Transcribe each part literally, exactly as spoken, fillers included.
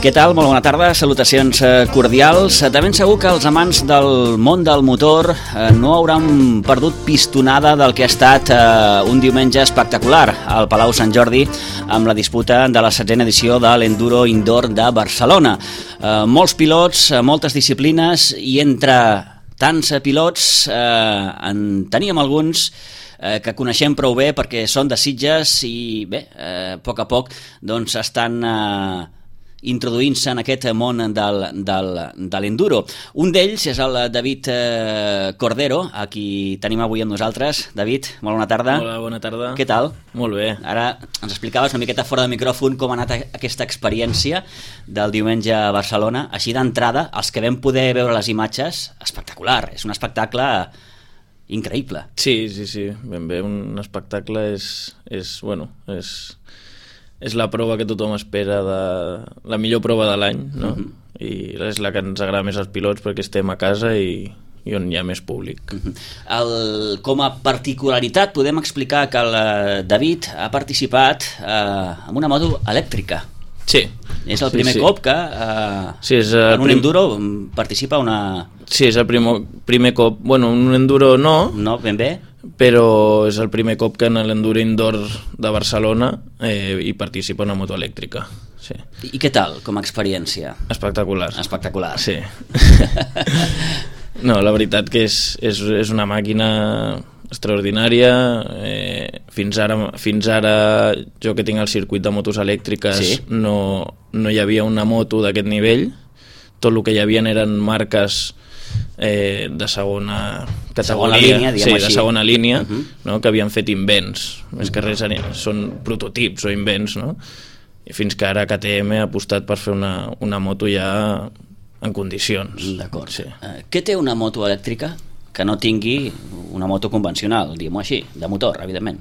Què tal? Molt bona tarda, salutacions cordials. De ben segur que els amants del món del motor no hauran perdut pistonada del que ha estat un diumenge espectacular al Palau Sant Jordi amb la disputa de la setzena edició de l'Enduro Indoor de Barcelona. Molts pilots, moltes disciplines i entre tants pilots en teníem alguns que coneixem prou bé perquè són de Sitges i bé, a poc a poc doncs estan introduint-se en aquest món del, del, de l'enduro. Un d'ells és el David Cordero, a qui tenim avui amb nosaltres. David, molt bona tarda. Hola, bona tarda. Què tal? Molt bé. Ara ens explicaves una miqueta fora de micròfon com ha anat aquesta experiència del diumenge a Barcelona. Així d'entrada, els que vam poder veure les imatges, espectacular, és un espectacle increïble. Sí, sí, sí, ben bé, un espectacle és, és bueno, és, és la prova que tothom espera, de la millor prova de l'any, no? Uh-huh. I és la que ens agrada més als pilots perquè estem a casa i, i on hi ha més públic. Uh-huh. el, com a particularitat podem explicar que el David ha participat eh, en una moto elèctrica. Sí. És el primer sí, sí. cop que eh, sí, és en un prim... enduro participa una... Sí, és el primer, primer cop. Bueno, un enduro no. No, ben bé. Però és el primer cop que en l'Enduro Indoor de Barcelona eh, hi participa una moto elèctrica. Sí. I què tal, com a experiència? Espectacular. Espectacular. Sí. No, la veritat que és, és, és una màquina extraordinària. Eh, fins ara, fins ara jo que tinc el circuit de motos elèctriques, sí? no, no hi havia una moto d'aquest nivell. Tot el que hi havia eren marques eh, de segona categoria, segona línia, sí, així. de segona línia, uh-huh. no? Que havien fet invents, més que res són prototips o invents, no? I fins que ara K T M ha apostat per fer una, una moto ja en condicions. D'acord. Sí. Uh, què té una moto elèctrica que no tingui una moto convencional, diguem-ho així, de motor, evidentment?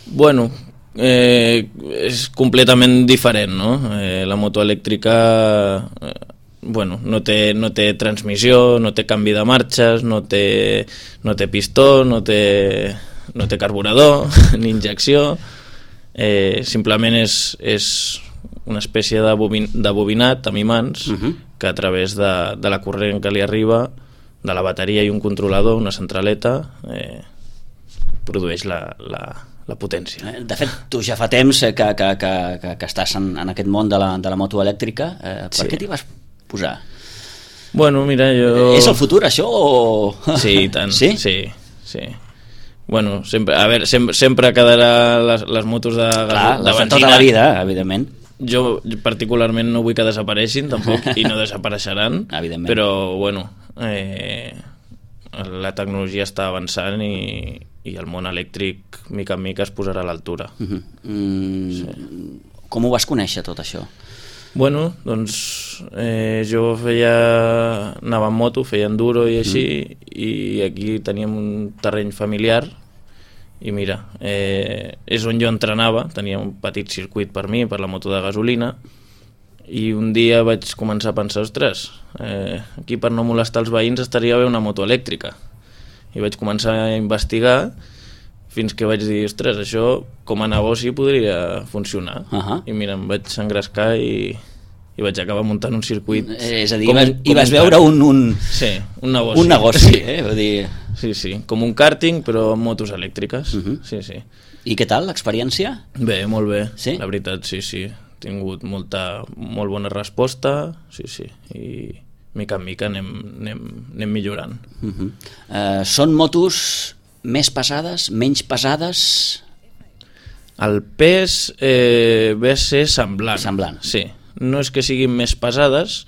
Bueno, eh, és completament diferent, no? Eh, la moto elèctrica eh, bueno, no té, no té transmissió, no té canvi de marxes, no té, no té pistó, no té, no té carburador ni injecció, eh, simplement és, és una espècie de, bobin, de bobinat amb imants uh-huh. que a través de, de la corrent que li arriba de la bateria i un controlador, una centraleta, eh, produeix la, la, la potència. De fet, tu ja fa temps que, que, que, que, que estàs en, en aquest món de la, de la moto elèctrica. Eh, per sí. què t'hi vas posar? Bueno, mira, jo... És el futur, això, o...? Sí, i tant. Sí? Sí, sí. Bueno, sempre, a veure, sempre, sempre quedarà les, les motos de, Clar, de les de benzina. Tota la vida, evidentment. Jo particularment no vull que desapareixin tampoc i no desapareixeran, però bueno, eh, la tecnologia està avançant i, i el món elèctric mica en mica es posarà a l'altura. Uh-huh. mm, sí. Com ho vas conèixer tot això? Bueno, doncs eh, jo feia anava en moto, feia enduro i així, uh-huh. i aquí teníem un terreny familiar i mira, eh, és on jo entrenava, tenia un petit circuit per mi, per la moto de gasolina, i un dia vaig començar a pensar, ostres, eh, aquí per no molestar els veïns estaria bé una moto elèctrica. I vaig començar a investigar fins que vaig dir, ostres, això com a negoci podria funcionar. Uh-huh. I mira, em vaig engrescar i, i vaig acabar muntant un circuit. És a dir, vas, i vas veure un, un... Sí, un negoci. Un negoci, eh? Vull dir... Sí, sí, com un karting però amb motos elèctriques. Uh-huh. Sí, sí. I què tal l'experiència? Bé, molt bé, sí? La veritat, sí, sí. He tingut molta, molt bona resposta, sí, sí, i mica en mica anem, anem, anem millorant. Uh-huh. uh, són motos més pesades, menys pesades? El pes eh, ve a ser semblant. Semblant. Sí, no és que siguin més pesades,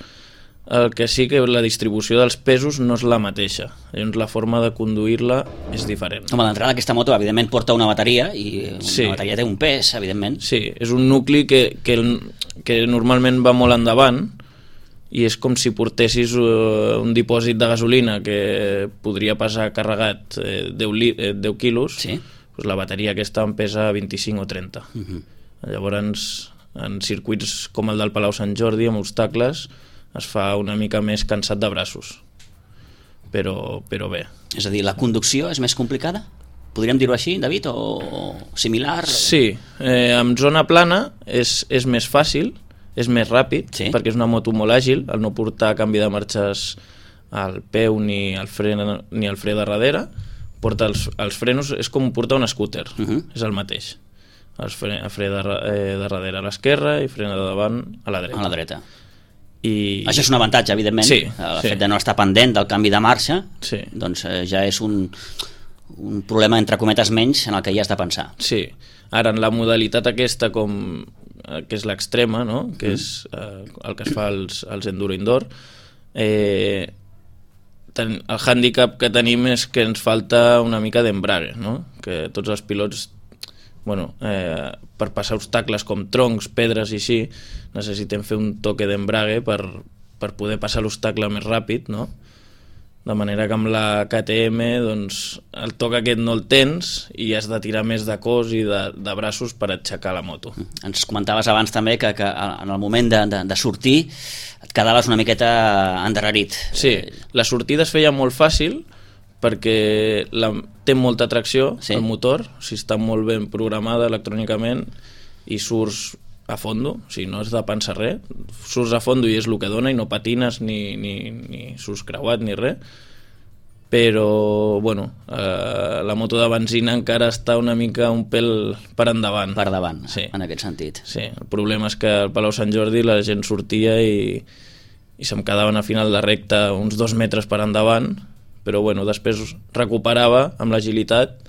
el que sí que la distribució dels pesos no és la mateixa, llavors la forma de conduir-la és diferent. Home, d'entrada aquesta moto evidentment porta una bateria i una sí. bateria té un pes, evidentment. Sí, és un nucli que, que, que normalment va molt endavant i és com si portessis uh, un dipòsit de gasolina que podria pesar carregat eh, deu, li, eh, deu quilos, sí. Doncs la bateria aquesta en pesa vint-i-cinc o trenta. Uh-huh. Llavors, en circuits com el del Palau Sant Jordi, amb obstacles, es fa una mica més cansat de braços, però, però bé. És a dir, la conducció és més complicada? Podríem dir-ho així, David, o similar? Sí, eh, amb zona plana és, és més fàcil, és més ràpid, sí. perquè és una moto molt àgil, al no portar canvi de marxes al peu ni al fre, ni al fre de darrere, porta els, els frenos, és com portar un scooter, uh -huh. és el mateix. El fre, el fre de, eh, de darrere a l'esquerra i frena de davant a la dreta. A la dreta. I... Això és un avantatge, evidentment. Sí, el sí. fet de no estar pendent del canvi de marxa, sí. doncs eh, ja és un, un problema, entre cometes, menys en el que hi has de pensar. Sí. Ara, en la modalitat aquesta, com que és l'extrema, no? que mm. és eh, el que es fa als, als enduro indoor, eh, ten, el hàndicap que tenim és que ens falta una mica d'embrague, no? Que tots els pilots, bueno, eh, per passar obstacles com troncs, pedres i així, necessitem fer un toque d'embrague per, per poder passar l'obstacle més ràpid, no? De manera que amb la K T M doncs, el toc aquest no el tens i has de tirar més de cos i de, de braços per aixecar la moto. Ens comentaves abans també que, que en el moment de, de, de sortir et quedaves una miqueta endarrerit. Sí, la sortida es feia molt fàcil perquè la, té molta tracció, sí. el motor, o sigui, està molt ben programada electrònicament i surts a fondo, o sigui, no has de pensar res, surts a fondo i és el que dona i no patines ni, ni, ni surts creuat ni res, però bueno, eh, la moto de benzina encara està una mica un pèl per endavant. Per davant, sí. en aquest sentit. Sí, el problema és que al Palau Sant Jordi la gent sortia i, i se'm quedaven a final de recta uns dos metres per endavant, però bueno, després recuperava amb l'agilitat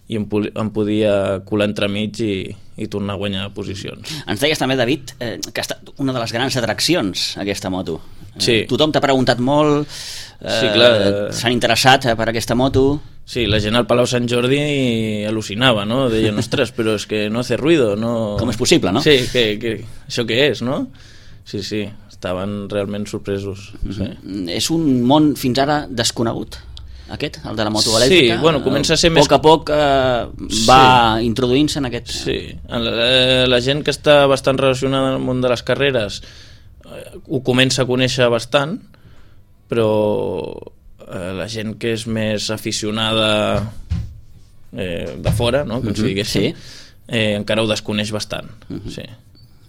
i em, em podia colar entremig i, i tornar a guanyar posicions. Ens deies també, David, eh, que ha estat una de les grans atraccions, aquesta moto. Sí. Eh, tothom t'ha preguntat molt, eh, sí, clar. s'han interessat per aquesta moto. Sí, la gent al Palau Sant Jordi al·lucinava, no? Deien, ostres, però és que no hace ruido, no... Com és possible, no? Sí, que, que, això què és, no? Sí, sí, estaven realment sorpresos. Sí. És un món fins ara desconegut, aquest, el de la moto elèctrica. Sí, bueno, comença a ser a més... poc a poc eh, va sí. introduint-se en aquest... Sí, la, la gent que està bastant relacionada amb el món de les carreres eh, ho comença a conèixer bastant, però eh, la gent que és més aficionada eh, de fora, no? Com uh-huh. si diguéssim, sí. eh, encara ho desconeix bastant, uh-huh. sí.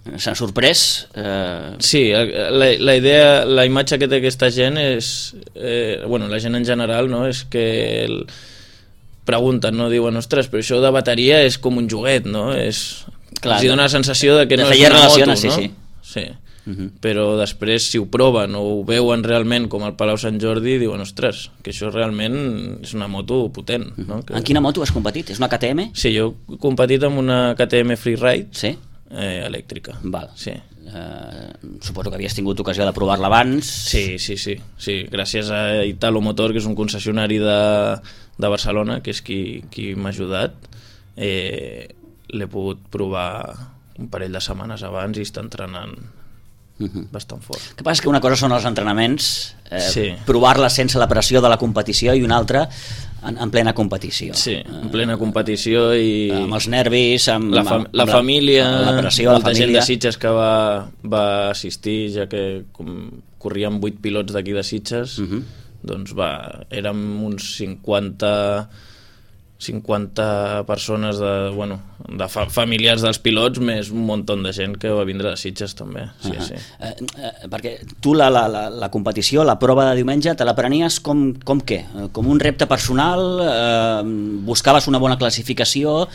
S'han sorprès? Eh... Sí, la, la idea, la imatge que té aquesta gent és, eh, bueno, la gent en general, no? És que el, pregunten, no? Diuen, ostres, però això de bateria és com un joguet, no? És, clar, els dona la sensació de que de no és una moto, sí, no? Sí, sí. Uh-huh. Però després, si ho proven o ho veuen realment com al Palau Sant Jordi, diuen, ostres, que això realment és una moto potent. Uh-huh. No? Que... En quina moto has competit? És una K T M? Sí, jo he competit amb una K T M Freeride. Sí? Eh, elèctrica. Val. Sí. Eh, suposo que havies tingut ocasió de provar-la abans. Sí, sí, sí, sí. Gràcies a Italo Motor, que és un concessionari de, de Barcelona, que és qui, qui m'ha ajudat, eh, l'he pogut provar un parell de setmanes abans i està entrenant uh-huh. bastant fort. El que passa és que una cosa són els entrenaments, eh, sí. provar-la sense la pressió de la competició, i una altra en, en plena competició. Sí, en plena competició i... Amb els nervis, amb la, fam amb la família, amb la pressió, molta la família. gent de Sitges que va, va assistir, ja que com corrien vuit pilots d'aquí de Sitges, uh-huh. doncs va, érem uns cinquanta cinquanta persones de, bueno, de fa familiars dels pilots, més un munt de gent que va vindre de Sitges també. Sí, uh-huh. sí. eh, eh, perquè tu la, la, la, la competició, la prova de diumenge, te la prenies com, com què? Com un repte personal? Eh, buscaves una bona classificació?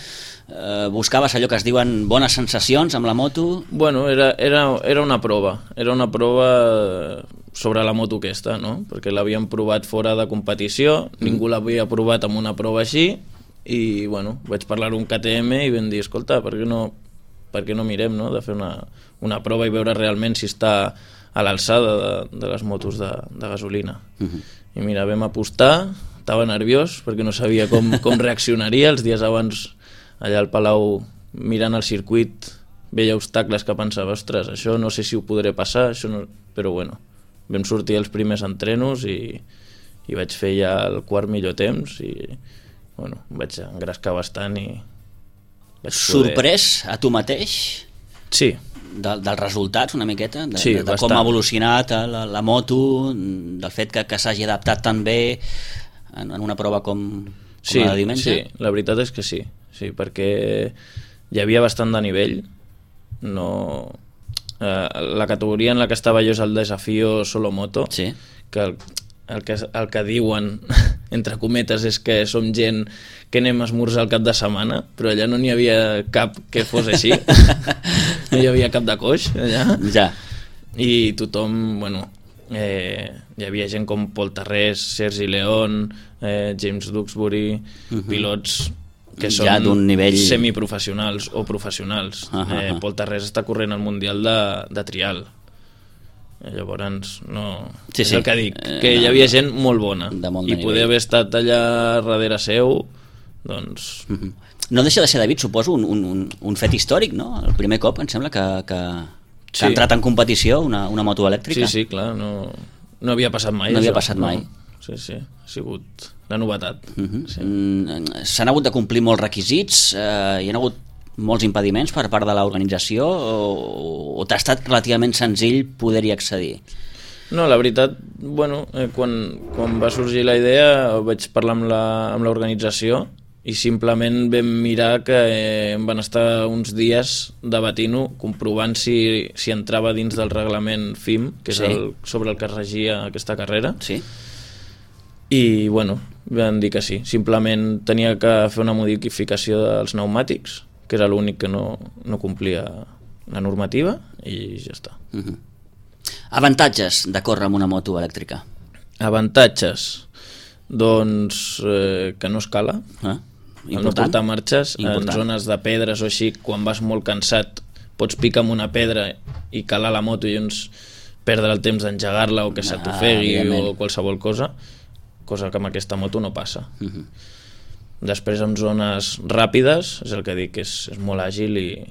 Eh, buscaves allò que es diuen bones sensacions amb la moto? Bueno, era, era, era una prova. Era una prova sobre la moto aquesta, no? Perquè l'havíem provat fora de competició, mm. ningú l'havia provat amb una prova així, i bueno, vaig parlar un K T M i vam dir, escolta, per què no, per què no mirem, no? De fer una, una prova i veure realment si està a l'alçada de, de les motos de, de gasolina. Uh-huh. I mira, vam apostar, estava nerviós perquè no sabia com, com reaccionaria. Els dies abans allà al Palau, mirant el circuit, veia obstacles que pensava, ostres, això no sé si ho podré passar, això no... però bueno, vam sortir els primers entrenos i, i vaig fer ja el quart millor temps i bueno, em vaig engrescar bastant i vaig poder... Sorprès a tu mateix? Sí. De, dels resultats una miqueta? De, sí, de, de com ha evolucionat la, la moto, del fet que, que s'hagi adaptat tan bé en, en una prova com, com sí, la de diumenge? Sí, la veritat és que sí, sí, perquè hi havia bastant de nivell, no... eh, la categoria en la que estava jo és el Desafío Solomoto, sí. que el, el, que el que diuen, entre cometes, és que som gent que anem a esmorzar al cap de setmana, però allà no n'hi havia cap que fos així. No hi havia cap de coix allà. Ja. I tothom, bueno, eh, hi havia gent com Paul Tarrés, Sergi León, eh, James Duxbury, uh -huh. pilots que són ja d'un nivell semiprofessionals o professionals. Uh -huh. eh, Paul Tarrés està corrent al Mundial de, de trial. Llavors, no... Sí, és sí. el que dic, que hi havia gent molt bona molt i poder haver estat allà darrere seu, doncs... Uh -huh. No deixa de ser, David, suposo, un, un, un fet històric, no? El primer cop, em sembla, que, que, que sí. ha entrat en competició una, una moto elèctrica. Sí, sí, clar, no, no havia passat mai. No això. havia passat mai. No. Sí, sí, ha sigut la novetat. Uh -huh. sí. mm, S'han hagut de complir molts requisits, eh, hi ha hagut molts impediments per part de l'organització o, o t'ha estat relativament senzill poder-hi accedir? No, la veritat, bueno, eh, quan, quan va sorgir la idea vaig parlar amb la, amb l'organització i simplement vam mirar que eh, em van estar uns dies debatint-ho, comprovant si, si entrava dins del reglament F I M, que és sí. el, sobre el que es regia aquesta carrera. Sí. I, bueno, van dir que sí. Simplement tenia que fer una modificació dels pneumàtics, que era l'únic que no, no complia la normativa, i ja està. Uh -huh. Avantatges de córrer amb una moto elèctrica? Avantatges? Doncs eh, que no escala. Ah, el no portar marxes important. En zones de pedres o així, quan vas molt cansat pots picar amb una pedra i calar la moto i llavors perdre el temps d'engegar-la o que se t'ofegui ah, o qualsevol cosa, cosa que amb aquesta moto no passa. Uh -huh. Després en zones ràpides, és el que dic, és, és molt àgil i,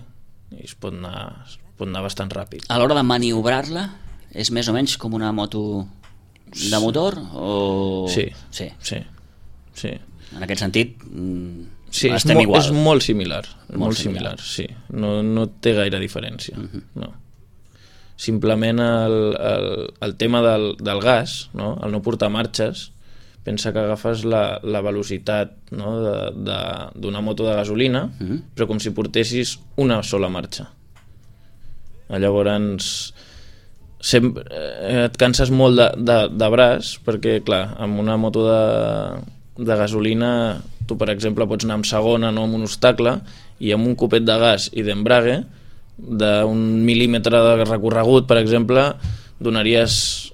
i es, pot anar, es pot anar bastant ràpid. A l'hora de maniobrar-la és més o menys com una moto de motor? O... Sí, sí. sí, sí. En aquest sentit sí, estem és igual. És molt similar, molt, molt similar. similar, sí. No, no té gaire diferència, uh -huh. no. Simplement el, el, el tema del, del gas, no? El no portar marxes, pensa que agafes la, la velocitat, no? d'una moto de gasolina, uh -huh. però com si portessis una sola marxa. Llavors sempre, eh, et canses molt de, de, de braç, perquè clar, amb una moto de, de gasolina tu per exemple pots anar amb segona, no amb un obstacle, i amb un copet de gas i d'embrague d'un mil·límetre de recorregut, per exemple, donaries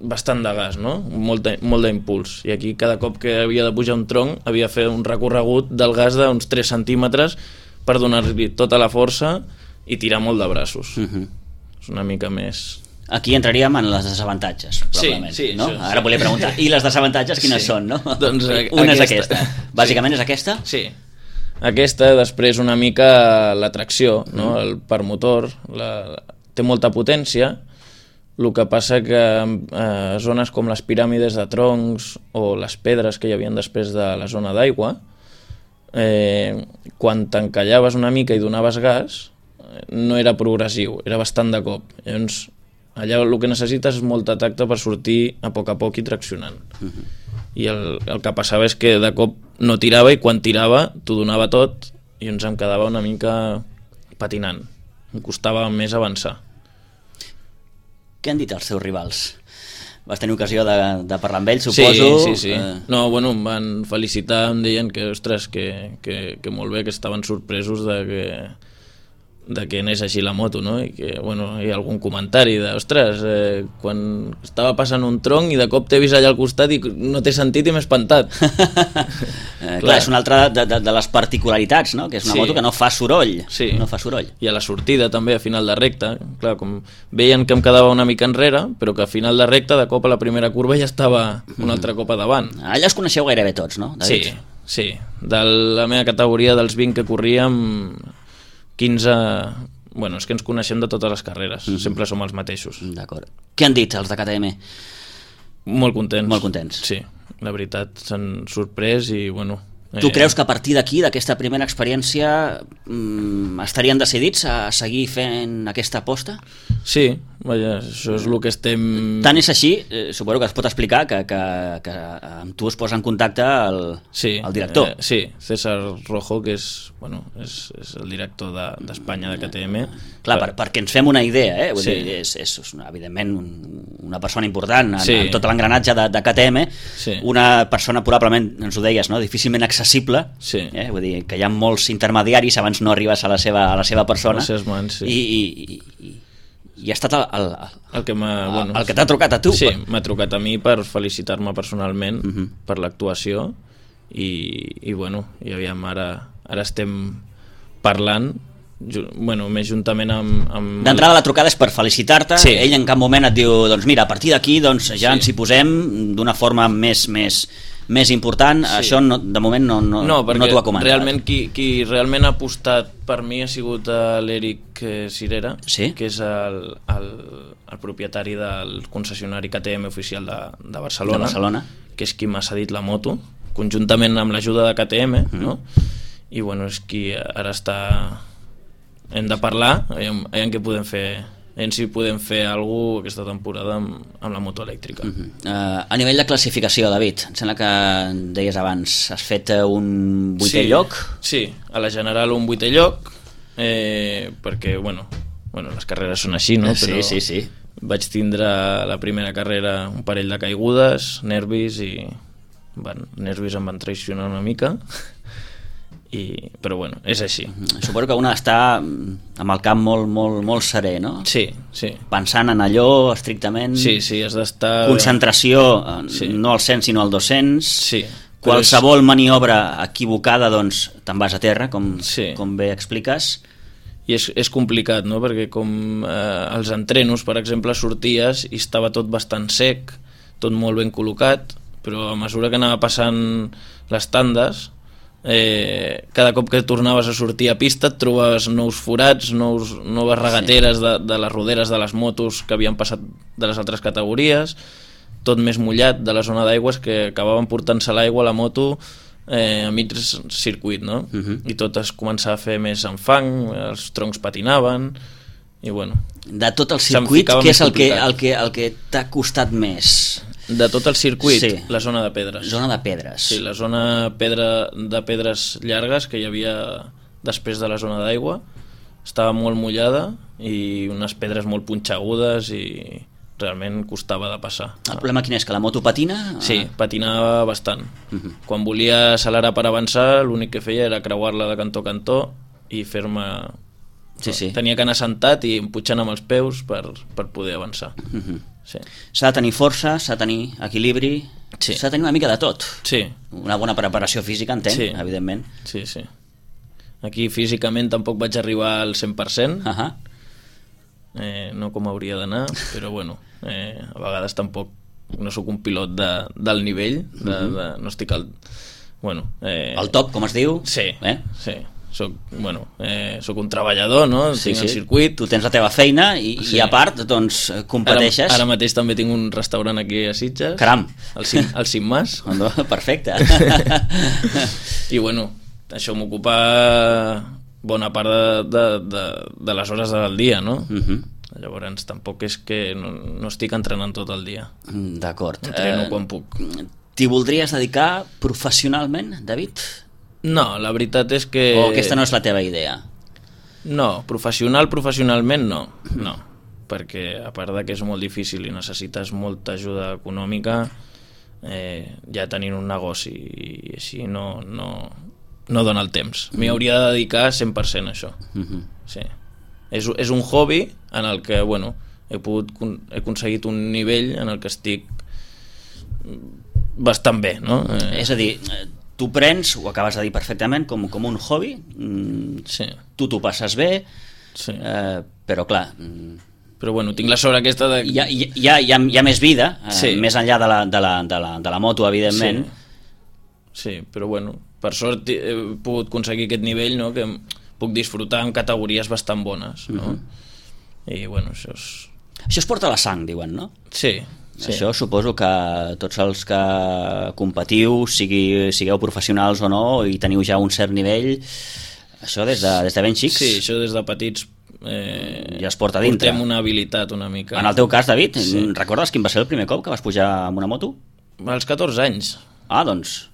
bastant de gas, no? Molt de, molt d'impuls. I aquí cada cop que havia de pujar un tronc havia de fer un recorregut del gas d'uns tres centímetres per donar-li tota la força i tirar molt de braços. Uh -huh. És una mica més... Aquí entraríem en les desavantatges, probablement. Sí, sí, no? Això, Ara sí. volia preguntar, i les desavantatges quines sí. són, no? Doncs una és aquesta. Bàsicament sí. és aquesta? Sí. Aquesta, després una mica l'atracció, no? Mm. El permotor, la... té molta potència, el que passa que a eh, zones com les piràmides de troncs o les pedres que hi havia després de la zona d'aigua, eh, quan t'encallaves una mica i donaves gas, no era progressiu, era bastant de cop. Llavors, allà el que necessites és molta tacte per sortir a poc a poc i traccionant. Uh-huh. I el, el que passava és que de cop no tirava i quan tirava t'ho donava tot i ens em quedava una mica patinant. Em costava més avançar. Què han dit els seus rivals? Vas tenir ocasió de, de parlar amb ells, suposo? Sí, sí, sí. Eh... No, bueno, em van felicitar, em deien que, ostres, que, que, que molt bé, que estaven sorpresos de que de que anés així la moto, no? I que, bueno, hi ha algun comentari de, ostres, eh, quan estava passant un tronc i de cop t'he vist allà al costat i no t'he sentit i m'he espantat. eh, clar, és una altra de, de, de les particularitats, no? Que és una sí. moto que no fa soroll. Sí. No fa soroll. I a la sortida també, a final de recta, clar, com veien que em quedava una mica enrere, però que a final de recta, de cop a la primera curva ja estava un altre cop a davant. Allà els coneixeu gairebé tots, no, David? Sí, sí. De la meva categoria dels vint que corríem, quinze... Bueno, és que ens coneixem de totes les carreres, mm-hmm. sempre som els mateixos. D'acord. Què han dit els de K T M? Molt contents. Molt contents. Sí, la veritat, s'han sorprès i, bueno, Tu creus que a partir d'aquí, d'aquesta primera experiència, mmm, estarien decidits a seguir fent aquesta aposta? Sí, vaja, això és el que estem... Tant és així, eh, suposo que es pot explicar que, que, que amb tu es posa en contacte el, sí, el director. Eh, sí, César Rojo, que és, bueno, és, és el director d'Espanya de, de K T M. Clar, per, perquè ens fem una idea, eh? Vull sí. dir, és, és evidentment un, una persona important en, sí. en tot l'engranatge de, de K T M, sí. una persona probablement, ens ho deies, no? Difícilment accessible, sí. eh? Vull dir que hi ha molts intermediaris abans no arribes a la seva, a la seva persona, a les seves mans, sí. i, i, i, i ha estat el, el, el que m'ha bueno, el que t'ha trucat a tu. Sí, per... m'ha trucat a mi per felicitar-me personalment uh -huh. per l'actuació i, i bueno, i aviam, ara, ara estem parlant, bueno, més juntament amb... amb D'entrada la trucada és per felicitar-te, sí. ell en cap moment et diu, doncs mira, a partir d'aquí doncs, ja sí. ens hi posem d'una forma més, més, més important, sí. Això no, de moment no, no, no, no t'ho ha comentat. Realment qui, qui realment ha apostat per mi ha sigut l'Eric Cirera, sí? que és el, el, el propietari del concessionari K T M oficial de, de, Barcelona, de Barcelona, que és qui m'ha cedit la moto, conjuntament amb l'ajuda de K T M, mm. no? I bueno, és qui ara està... Hem de parlar, aviam, aviam què podem fer, aviam si podem fer alguna cosa aquesta temporada amb, amb la moto elèctrica. Uh -huh. uh, a nivell de classificació, David, em sembla que deies abans, has fet un vuitè sí, lloc? Sí, a la general un vuitè lloc, eh, perquè, bueno, bueno, les carreres són així, no? Sí, Però sí, sí. vaig tindre la primera carrera un parell de caigudes, nervis, i bueno, nervis em van traicionar una mica, i, però bueno, és així. Suposo que un ha d'estar amb el cap molt, molt, molt serè, no? Sí, sí. Pensant en allò estrictament... Sí, sí, has d'estar... Concentració, sí. no al cent sinó al dos-cents. Sí. Qualsevol és... maniobra equivocada, doncs, te'n vas a terra, com, sí. com bé expliques. I és, és complicat, no? Perquè com eh, els entrenos, per exemple, sorties i estava tot bastant sec, tot molt ben col·locat, però a mesura que anava passant les tandes... Eh, cada cop que tornaves a sortir a pista et trobaves nous forats, nous, noves regateres sí. de, de les roderes de les motos que havien passat de les altres categories, tot més mullat de la zona d'aigües, que acabaven portant-se l'aigua a la moto eh, a mig circuit, no? Uh -huh. I tot es començava a fer més en fang, els troncs patinaven i bueno... De tot el circuit, què és el que, el que, el que t'ha costat més? De tot el circuit, sí. La zona de pedres. Zona de pedres. Sí, la zona pedra, de pedres llargues que hi havia després de la zona d'aigua. Estava molt mullada i unes pedres molt punxegudes i realment costava de passar. El problema quin és? Que la moto patina? Sí, patinava bastant. Uh-huh. Quan volia accelerar per avançar, l'únic que feia era creuar-la de cantó a cantó i fer-me... Sí, sí. Tenia que anar sentat i empujant amb els peus per, per poder avançar. Uh-huh. Sí. S'ha de tenir força, s'ha de tenir equilibri, sí. S'ha de tenir una mica de tot. Sí. Una bona preparació física, entenc, sí. evidentment. Sí, sí. Aquí físicament tampoc vaig arribar al cent per cent, uh-huh. eh, no com hauria d'anar, però bueno, eh, a vegades tampoc no sóc un pilot de, del nivell, de, uh-huh. de, no estic al... Bueno, eh, el top, com es diu? Sí, eh? sí. Soc, bueno, eh, soc un treballador, no? Sí, tinc sí. el circuit. Tu tens la teva feina i, sí. i a part, doncs, competeixes. Ara, ara mateix també tinc un restaurant aquí a Sitges. Caram! El Cim, el Cim Mas. No, perfecte. I bueno, això m'ocupa bona part de, de, de, de les hores del dia, no? Uh-huh. Llavors tampoc és que no, no estic entrenant tot el dia. D'acord. Entreno eh, quan puc. T'hi voldries dedicar professionalment, David? No, la veritat és que... O aquesta no és la teva idea? No, professional, professionalment no, no, perquè a part de que és molt difícil i necessites molta ajuda econòmica, eh, ja tenint un negoci i així no, no, no dona el temps. M'hi hauria de dedicar cent per cent a això. Uh-huh. Sí. És, és un hobby en el que, bueno, he, pogut, he aconseguit un nivell en el que estic bastant bé, no? Eh... És a dir... Tu prens, ho acabes de dir perfectament, com, com un hobby, mm, sí. Tu t'ho passes bé, sí. eh, però clar... Mm, però bueno, tinc la sort aquesta de... Hi ha, hi ha, hi ha, hi ha més vida, eh, sí. més enllà de la, de, la, de, la, de la moto, evidentment. Sí. sí, però bueno, per sort he pogut aconseguir aquest nivell, no?, que puc disfrutar en categories bastant bones, no? Uh-huh. I bueno, això és... Això es porta a la sang, diuen, no? Sí. Sí. Això suposo que tots els que competiu, sigui, sigueu professionals o no, i teniu ja un cert nivell, això des de, des de ben xics... Sí, això des de petits eh, ja es porta dintre. Portem una habilitat una mica. En el teu cas, David, sí. recordes quin va ser el primer cop que vas pujar amb una moto? Als catorze anys. Ah, doncs...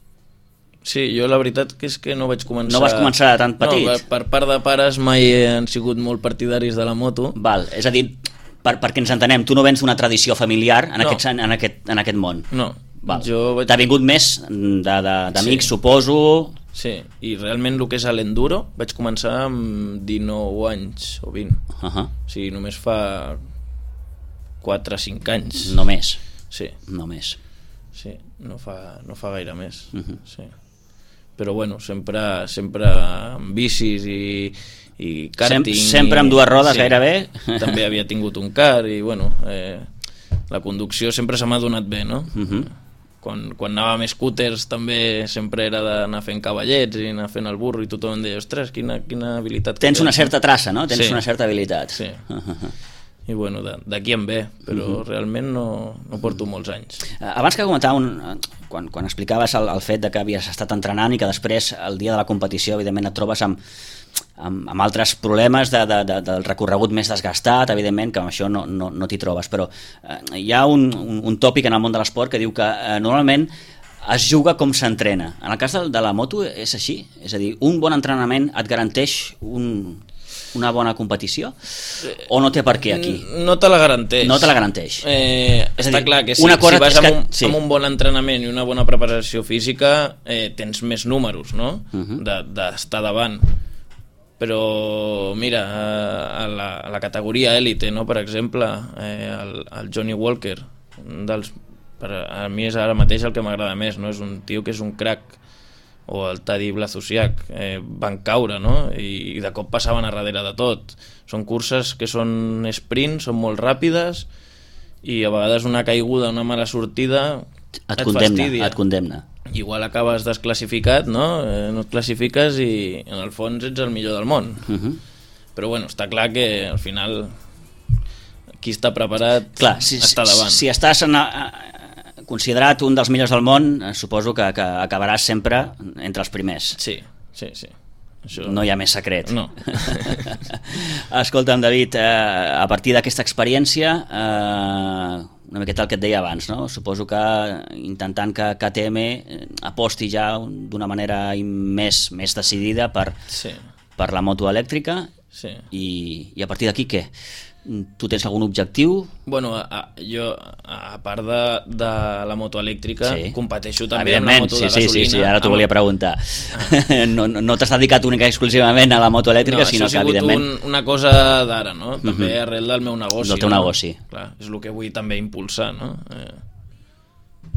Sí, jo la veritat que és que no vaig començar... No vas començar tan petit? No, per part de pares mai han sigut molt partidaris de la moto. Val, és a dir, per, perquè ens entenem, tu no vens d'una tradició familiar en, no. aquest, en, aquest, en aquest món. No. Val. Jo vaig... T'ha vingut més d'amics, sí. suposo... Sí, i realment el que és l'enduro vaig començar amb dinou anys o vint. Uh -huh. O sigui, només fa quatre o cinc anys. Només? Sí. Només. Sí, no fa, no fa gaire més. Uh -huh. Sí. Però bueno, sempre, sempre amb bicis i, i karting. Sem sempre amb dues rodes, sí, gairebé. També havia tingut un car i bueno, eh, la conducció sempre se m'ha donat bé, no? Uh -huh. Quan, quan anava amb scooters també sempre era d'anar fent cavallets i anar fent el burro i tothom em deia, ostres, quina, quina habilitat. Tens una certa traça, no? Tens sí. una certa habilitat. Sí. Uh -huh. I bueno, d'aquí em ve, però uh -huh. realment no, no porto molts anys. Abans que comentava, un, quan, quan explicaves el, el fet de que havies estat entrenant i que després, el dia de la competició, evidentment et trobes amb, amb, amb altres problemes de, de, de, del recorregut més desgastat, evidentment, que amb això no, no, no t'hi trobes, però eh, hi ha un, un, un tòpic en el món de l'esport que diu que eh, normalment es juga com s'entrena. En el cas de, de la moto és així? És a dir, un bon entrenament et garanteix un... una bona competició? O no té per què aquí? No te la garanteix. No te la garanteix. Eh, està dir, clar que si, una cosa si vas amb un, sí. amb un bon entrenament i una bona preparació física eh, tens més números, no? Uh -huh. d'estar de, davant. Però mira, a la, a la categoria élite, no? Per exemple, eh, el, el Johnny Walker, un dels, per a mi és ara mateix el que m'agrada més, no? És un tio que és un crack, o el Tadej Blazusek, eh, van caure, no? I, i de cop passaven a darrere de tot. Són curses que són sprint, són molt ràpides, i a vegades una caiguda, una mala sortida et, et condemna, fastidia. et condemna. Igual acabes desclassificat, no? Eh, no et classifiques i en el fons ets el millor del món. Uh -huh. Però bueno, està clar que al final qui està preparat clar, si, està davant. Si, si estàs en a, considerat un dels millors del món, suposo que, que acabaràs sempre entre els primers. Sí, sí, sí. Això... No hi ha més secret. No. Escolta'm, David, eh, a partir d'aquesta experiència, eh, una miqueta el que et deia abans, no? Suposo que intentant que K T M aposti ja d'una manera més, més decidida per, sí. per la moto elèctrica, sí. i, i a partir d'aquí què? Tu tens algun objectiu? Bueno, a, a, jo, a part de, de la moto elèctrica, sí. competeixo també amb la moto sí, de gasolina. Sí, sí, sí, ara t'ho volia preguntar. Ah. No, no, no t'has dedicat única i exclusivament a la moto elèctrica, no, sinó que, evidentment... No, això ha sigut un, una cosa d'ara, no? També uh -huh. arrel del meu negoci. Del teu no? negoci. Clar, és el que vull també impulsar, no? Eh,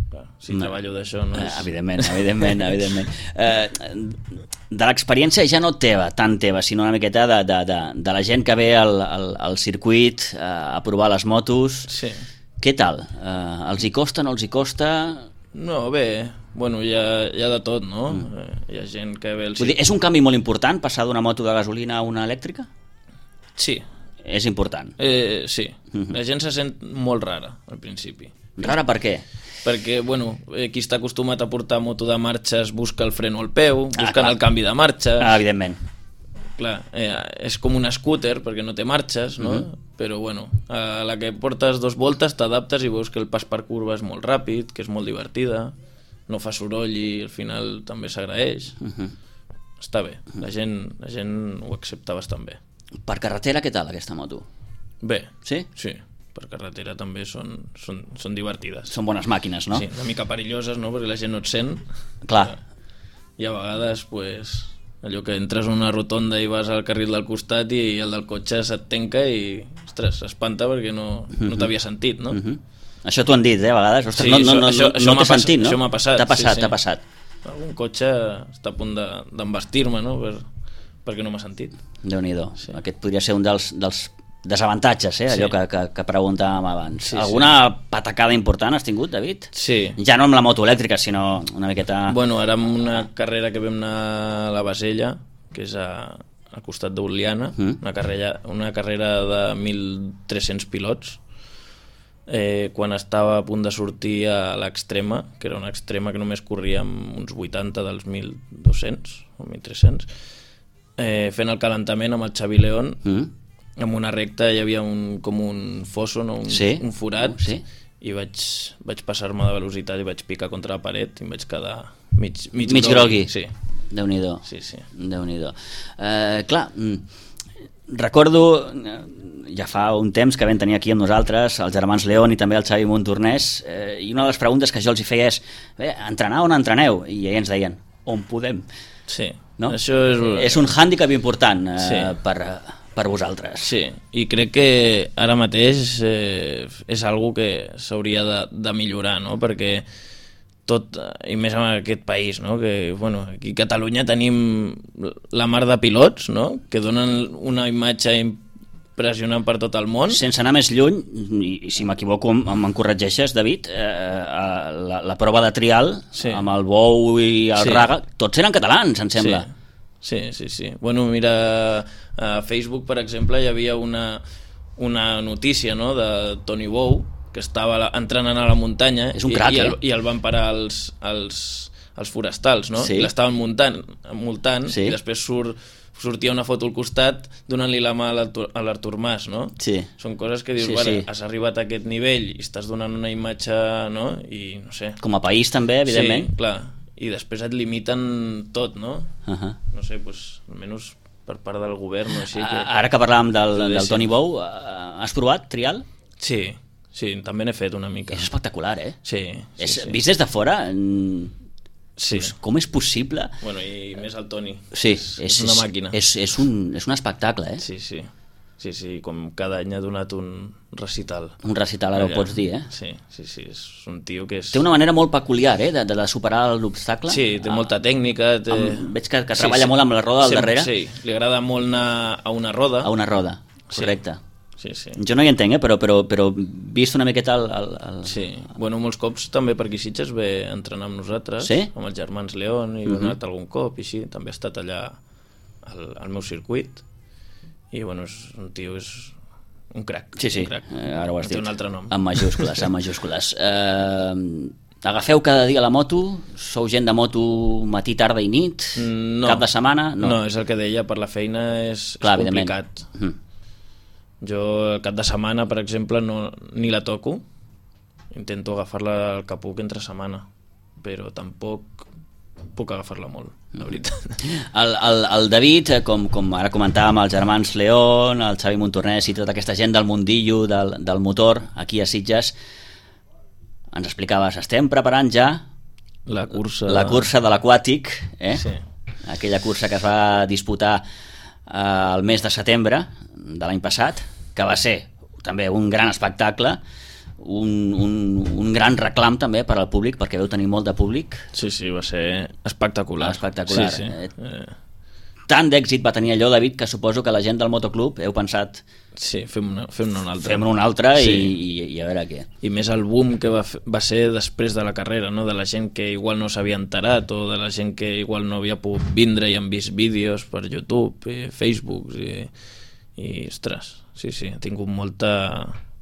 clar, si no. treballo d'això no és... Evidentment, evidentment, evidentment. Eh, de l'experiència ja no teva, tan teva, sinó una miqueta de, de, de, de la gent que ve al, al, al circuit a provar les motos. Sí. Què tal? Eh, els hi costa, no els hi costa? No, bé, bueno, hi ha, hi ha de tot, no? Mm. Eh, hi ha gent que ve al circuit. Vull dir, és un canvi molt important passar d'una moto de gasolina a una elèctrica? Sí. És important? Eh, sí. Mm-hmm. La gent se sent molt rara al principi. Rara per què? Perquè, bueno, eh, qui està acostumat a portar moto de marxes busca el freno al peu, busquen ah, el canvi de marxes... Ah, evidentment. Clar, eh, és com un scooter perquè no té marxes, no? Uh-huh. Però, bueno, a la que portes dos voltes t'adaptes i veus que el pas per curva és molt ràpid, que és molt divertida, no fa soroll i al final també s'agraeix. Uh-huh. Està bé, la gent, la gent ho accepta bastant bé. Per carretera, què tal, aquesta moto? Bé. Sí? Sí. Per carretera també són, són, són divertides. Són bones màquines, no? Sí, una mica perilloses, no? Perquè la gent no et sent. Clar. I a vegades, pues, allò que entres en una rotonda i vas al carril del costat i el del cotxe se't tanca i, ostres, s'espanta perquè no, no t'havia sentit, no? Uh-huh. Això t'ho han dit, eh, a vegades. Ostres, sí, no, no, no, això, no, això no t'he sentit, no? Això m'ha passat. T'ha passat, sí, sí. t'ha passat. Algun cotxe està a punt d'embastir-me, no? Per, perquè no m'ha sentit. Déu-n'hi-do. Sí. Aquest podria ser un dels, dels desavantatges, eh? Allò sí. que, que, que preguntàvem abans. Sí, Alguna sí. patacada important has tingut, David? Sí. Ja no amb la moto elèctrica, sinó una miqueta... Bueno, ara amb una carrera que vam anar a la Basella, que és a, al costat d'Oliana, mm. una, carrera, una carrera de mil tres-cents pilots, eh, quan estava a punt de sortir a l'extrema, que era una extrema que només corria amb uns vuitanta dels mil dos-cents o mil tres-cents, eh, fent el calentament amb el Xavi León, mm. en una recta hi havia un, com un fosso, no? un, sí? un forat, sí? i vaig, vaig passar-me de velocitat i vaig picar contra la paret i em vaig quedar mig, mig, mig grogui. Sí. Déu-n'hi-do. Sí, sí. Déu-n'hi-do. Eh, clar, recordo, ja fa un temps que vam tenir aquí amb nosaltres els germans León i també el Xavi Montornès, eh, i una de les preguntes que jo els hi feia és bé, entrenar on entreneu? I ells ens deien, on podem? Sí. No? Això és... és un hàndicap important eh, sí. per... per vosaltres. Sí, i crec que ara mateix eh, és algo que s'hauria de, de millorar, no? Perquè tot, i més en aquest país, no? Que, bueno, aquí a Catalunya tenim la mar de pilots, no? Que donen una imatge impressionant per tot el món. Sense anar més lluny, i si m'equivoco me'n corregeixes, David, eh, la, la prova de trial, sí. amb el Bou i el sí. Raga, tots eren catalans, em sembla. Sí. Sí, sí, sí. Bueno, mira, a Facebook, per exemple, hi havia una, una notícia, no?, de Toni Bou, que estava entrenant a la muntanya. És un crac, i, i, eh? el, i el van parar els, els, els forestals, no? Sí. I l'estaven muntant, multant, sí. i després surt, sortia una foto al costat donant-li la mà a l'Artur Mas, no? Sí. Són coses que dius, sí, vale, sí. has arribat a aquest nivell i estàs donant una imatge, no? I no sé. Com a país també, evidentment. Sí, clar. I després et limiten tot, no? Uh-huh. No sé, pues, almenys per part del govern o així. Que... Ara que parlàvem del, del Toni Bou, has provat trial? Sí, sí, també n'he fet una mica. És espectacular, eh? Sí. sí, és, sí. Vist des de fora, sí. com és possible? Bueno, i més el Toni. Sí, és, és, és una màquina. És, és, un, és un espectacle, eh? Sí, sí. Sí, sí, com cada any ha donat un recital. Un recital, ara ho pots dir, eh? Sí, sí, sí, és un tio que és... Té una manera molt peculiar, eh, de, de superar l'obstacle. Sí, té ah, molta tècnica. Té... Amb, veig que, que treballa sí, molt amb la roda al sí, darrere. Sí, li agrada molt anar a una roda. A una roda, correcte. Sí, sí. Jo no hi entenc, eh, però, però, però vist una miqueta el... el, el... Sí, bueno, molts cops també per aquí Sitges ve a entrenar amb nosaltres, sí? amb els germans León, i uh-huh. he anat algun cop, i sí, també ha estat allà al, al meu circuit, i bueno, és un tio, és un crac. Sí, sí, un crac. Eh, ara ho has dit. dit. Un altre nom. Amb majúscules, amb majúscules. Eh, agafeu cada dia la moto? Sou gent de moto matí, tarda i nit? No. Cap de setmana? No, no és el que deia, per la feina és, clar, és complicat. Mm. Jo el cap de setmana, per exemple, no, ni la toco. Intento agafar-la al que puc entre setmana, però tampoc puc agafar-la molt, la veritat. El, el, el David, com, com ara comentàvem, els germans León, el Xavi Montornès i tota aquesta gent del mundillo, del, del motor, aquí a Sitges, ens explicaves, estem preparant ja la cursa, la cursa de l'aquàtic, eh? Sí. Aquella cursa que es va disputar eh, el mes de setembre de l'any passat, que va ser també un gran espectacle, Un, un, un gran reclam també per al públic, perquè veu tenir molt de públic. Sí, sí, va ser espectacular. Espectacular. Sí, sí. Eh, tant d'èxit va tenir allò, David, que suposo que la gent del motoclub heu pensat... Sí, fem-ne fem una altra. Fem-ne una altra i, sí. i, i a veure què. I més el boom que va, va ser després de la carrera, no? De la gent que igual no s'havia enterat, o de la gent que igual no havia pogut vindre i han vist vídeos per YouTube, i Facebook, i, i ostres, sí, sí, ha tingut molta...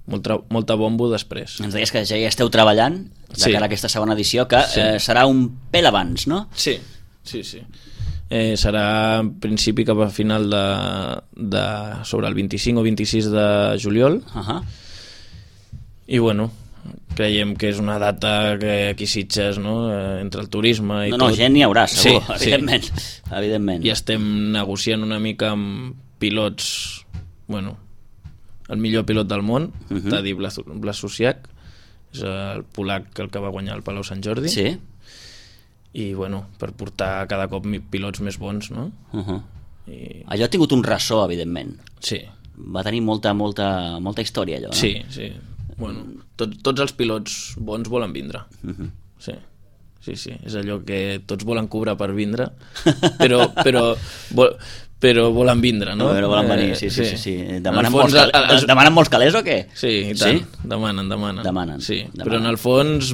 Molta, molta bombo després. Ens deies que ja hi esteu treballant de sí. cara a aquesta segona edició, que sí. eh, serà un pèl abans, no? Sí, sí, sí. Eh, serà en principi cap a final de, de sobre el vint-i-cinc o vint-i-sis de juliol. Uh-huh. I bueno, creiem que és una data que aquí Sitges, no? Eh, entre el turisme i no, tot... No, gent n'hi haurà, segur, sí, evidentment. Sí. evidentment. I estem negociant una mica amb pilots, bueno... el millor pilot del món, uh-huh. Tadej Błaszczak, és el polac el que va guanyar el Palau Sant Jordi. Sí. I bueno, per portar cada cop pilots més bons, no? Uh-huh. I... Allò ha tingut un ressò, evidentment. Sí. Va tenir molta, molta, molta història, allò, no? Sí, sí. Bueno, tot, tots els pilots bons volen vindre. Uh-huh. Sí. Sí, sí. És allò que tots volen cobrar per vindre, però... però vol... però volen vindre, no? Però volen venir, sí, sí, sí. sí. Demanen, fons, molts calés, els... demanen molts calés o què? Sí, i tant. Sí? Demanen, demanen. Demanen. Sí, demanen. però en el fons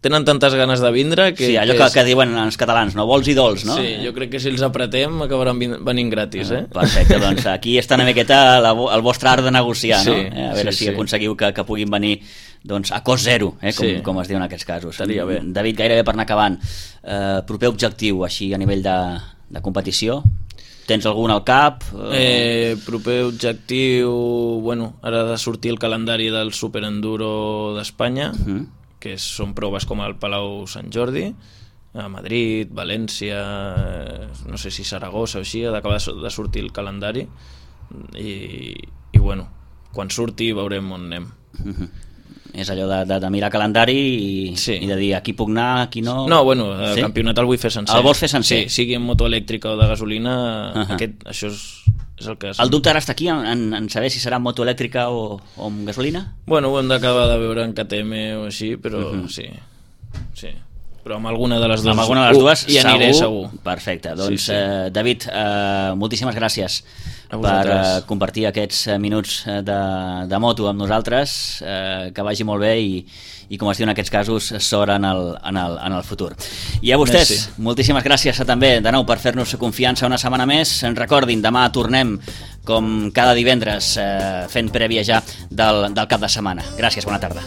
tenen tantes ganes de vindre que... Sí, allò que, que diuen els catalans, no? Vols i dols, no? Sí, jo crec que si els apretem acabaran venint gratis, eh? Perfecte, doncs aquí està una miqueta la, el vostre art de negociar, sí, no? Eh, a veure sí, si sí. aconseguiu que, que puguin venir doncs, a cost zero, eh? com, Sí. com es diu en aquests casos. Estaria bé. David, gairebé per anar acabant, eh, proper objectiu així a nivell de, de competició? Tens algun al cap? Eh, proper objectiu... Bueno, ara ha de sortir el calendari del Superenduro d'Espanya, uh -huh. que són proves com el Palau Sant Jordi, a Madrid, València, no sé si Saragossa o així, ha d'acabar de sortir el calendari i, i bueno, quan surti veurem on anem. Uh-huh. És allò de, de, de mirar calendari i, sí. i de dir aquí puc anar, aquí no... No, bueno, el sí? campionat el vull fer sencer. El vols fer sencer? Sí, sigui en moto elèctrica o de gasolina, uh-huh. aquest, això és, és el que... És. El dubte ara està aquí en, en saber si serà en moto elèctrica o, o amb gasolina? Bueno, ho hem d'acabar de veure en K T M o així, però uh-huh. sí, sí. Però amb alguna de les dues, amb alguna de les dues hi aniré segur. Perfecte, doncs sí, sí. Eh, David, eh, moltíssimes gràcies per eh, compartir aquests minuts de, de moto amb nosaltres, eh, que vagi molt bé i, i com es diu en aquests casos, sort en el, en el, en el futur. I a vostès, Merci. moltíssimes gràcies també de nou per fer-nos confiança una setmana més. En recordin, demà tornem com cada divendres eh, fent prèvia ja del, del cap de setmana. Gràcies, bona tarda.